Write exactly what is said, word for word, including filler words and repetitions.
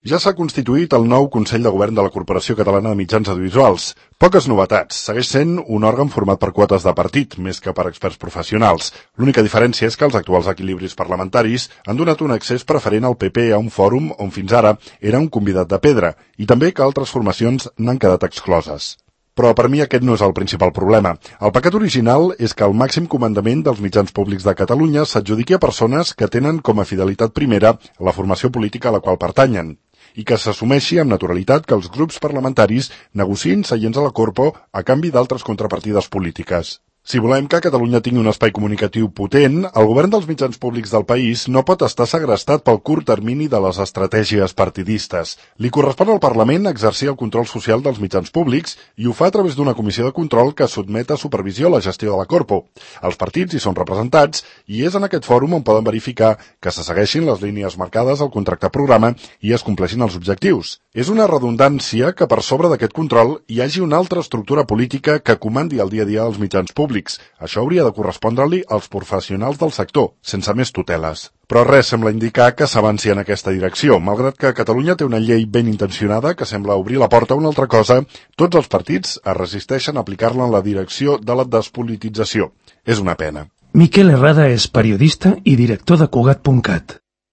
Ja s'ha constituït el nou Consell de Govern de la Corporació Catalana de Mitjans Audiovisuals. Poques novetats. Segueix sent un òrgan format per quotes de partit, més que per experts professionals. L'única diferència és que els actuals equilibris parlamentaris han donat un accés preferent al P P a un fòrum on fins ara era un convidat de pedra, i també que altres formacions n'han quedat excloses. Però per mi aquest no és el principal problema. El pecat original és que el màxim comandament dels mitjans públics de Catalunya s'adjudiqui a persones que tenen com a fidelitat primera la formació política a la qual pertanyen, i que s'assumeixi amb naturalitat que els grups parlamentaris negociïn seients a la Corpo a canvi d'altres contrapartides polítiques. Si volem que Catalunya tingui un espai comunicatiu potent, el govern dels mitjans públics del país no pot estar segrestat pel curt termini de les estratègies partidistes. Li correspon al Parlament exercir el control social dels mitjans públics i ho fa a través d'una comissió de control que sotmet a supervisió la gestió de la Corpo. Els partits hi són representats i és en aquest fòrum on poden verificar que se segueixin les línies marcades al contracte programa i es compleixin els objectius. És una redundància que per sobre d'aquest control hi hagi una altra estructura política que comandi el dia a dia dels mitjans públics. Això hauria de correspondre-li als professionals del sector, sense més tuteles. Però res sembla indicar que s'avanci en aquesta direcció. Malgrat que Catalunya té una llei ben intencionada que sembla obrir la porta a una altra cosa, tots els partits es resisteixen a aplicar-la en la direcció de la despolitització. És una pena. Miquel Herrada és periodista i director de Cugat punt cat.